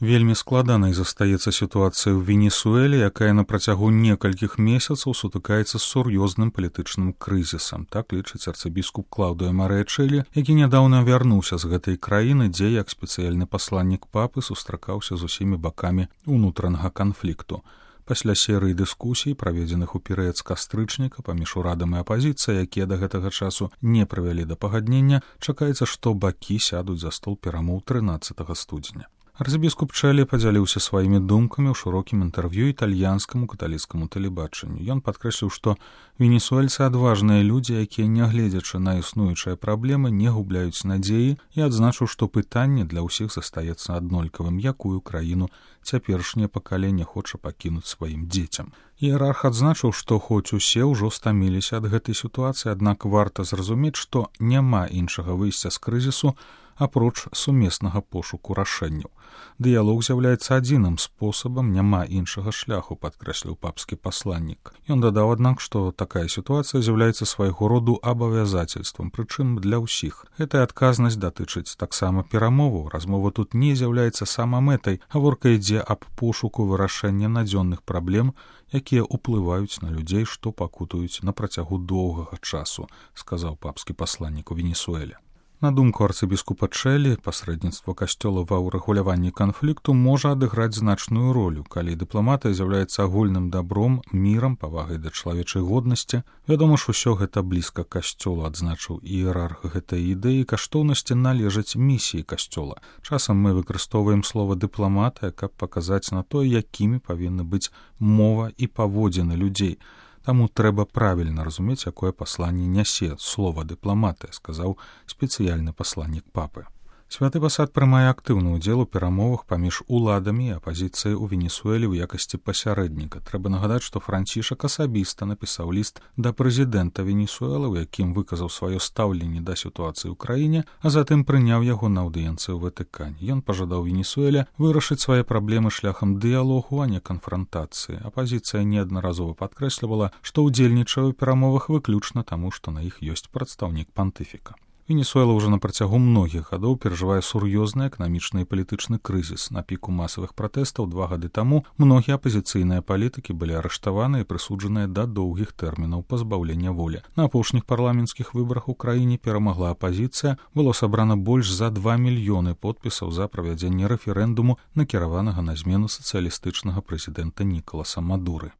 Вельмі складанай застаецца сітуацыя ў Венесуэле, якая на працягу некалькіх месяцаў сутыкаецца з сур'ёзным палітычным крызісам. Так лічыць арцыбіскуп Клаўдыо Марычэлі, які нядаўна вярнуўся з гэтай краіны, дзе як спецыяльны пасланнік папы сустракаўся з усімі бакамі ўнутранага канфлікту. Пасля серыі дыскусій, праведзеных у перыяд з кастрычніка паміж урадам і апазіцыяй, якія да гэтага часу не прывялі да пагаднення, чакаецца, што бакі сядуць за стол перамоў 13 студзеня. Арцыбіскуп Чэлі падзяліўся сваімі думкамі ў шырокім інтэрв'ю італьянскаму каталіцкаму тэлебачанню. Ён падкрэсліў, што венесуэльцы адважныя людзі, якія, нягледзячы на існуючыя праблемы, не губляюць надзеі, і адзначыў, што пытанне для ўсіх застаецца аднолькавым, якую краіну цяперашняе пакаленне хоча пакінуць сваім дзецям. Іерарх адзначыў, што хоць усе ўжо стаміліся ад гэтай сітуацыі, аднак варта зразумець, што няма іншага выйсця з крызісу, апроч сумеснага пошуку рашэнняў. Дыялог з'яўляецца адзіным спосабам, няма іншага шляху, падкрэсліў папскі пасланнік. Ён дадаў, аднак, што такая сітуацыя з'яўляецца свайго роду абавязацельствам, прычым для ўсіх. Гэтая адказнасць датычыць таксама перамоваў. Размова тут не з'яўляецца самамэтай, гаворка ідзе аб пошуку вырашэння надзённых праблем, якія ўплываюць на людзей, што пакутуюць на працягу доўгага часу, сказаў папскі пасланнік у Венесуэле. На думку арцыбіскупа Чэлі, пасрэдніцтва касцёла ва ўрэгуляванні канфлікту можа адыграць значную ролю, калі дыпламатыя з'яўляецца агульным дабром, мірам, павагай да чалавечай годнасці. Вядома ж, усё гэта блізка касцёлу, адзначыў іерарх гэтай ідэі, каштоўнасці належаць місіі касцёла. Часам мы выкарыстоўваем слова дыпламатыя, каб паказаць на тое, якімі павінны быць мова і паводзіны людзей. Таму трэба правільна разумець, якое пасланне нясе слова дыпламатыя, сказаў спецыяльны пасланнік папы. Святы пасад прымае актыўны ўдзел у перамовах паміж уладамі і апазіцыяй у Венесуэле ў якасці пасярэдніка. Трэба нагадаць, што Францішак асабіста напісаў ліст да прэзідэнта Венесуэлы, у якім выказаў сваё стаўленне да сітуацыі ў краіне, а затым прыняў яго на аўдыенцыю ў Ватыкане. Ён пажадаў Венесуэле вырашыць свае праблемы шляхам дыялогу, а не канфрантацыі. Апазіцыя неаднаразова падкрэслівала, што ўдзельнічае ў перамовах выключна таму, што на іх ёсць прадстаўнік пантыфіка. Венесуэла ўжо на працягу многіх гадоў перажывае сур'ёзны эканамічны і палітычны крызіс. На піку масавых пратэстаў 2 гады таму многія апазіцыйныя палітыкі былі арыштаваны і прысуджаныя да доўгіх тэрмінаў пазбаўлення волі. На апошніх парламенцкіх выбарах у краіне перамагла апазіцыя, было сабрана больш за 2 мільёны подпісаў за правядзенне рэферэндуму, накіраванага на змену сацыялістычнага прэзідэнта Нікаласа Мадуры.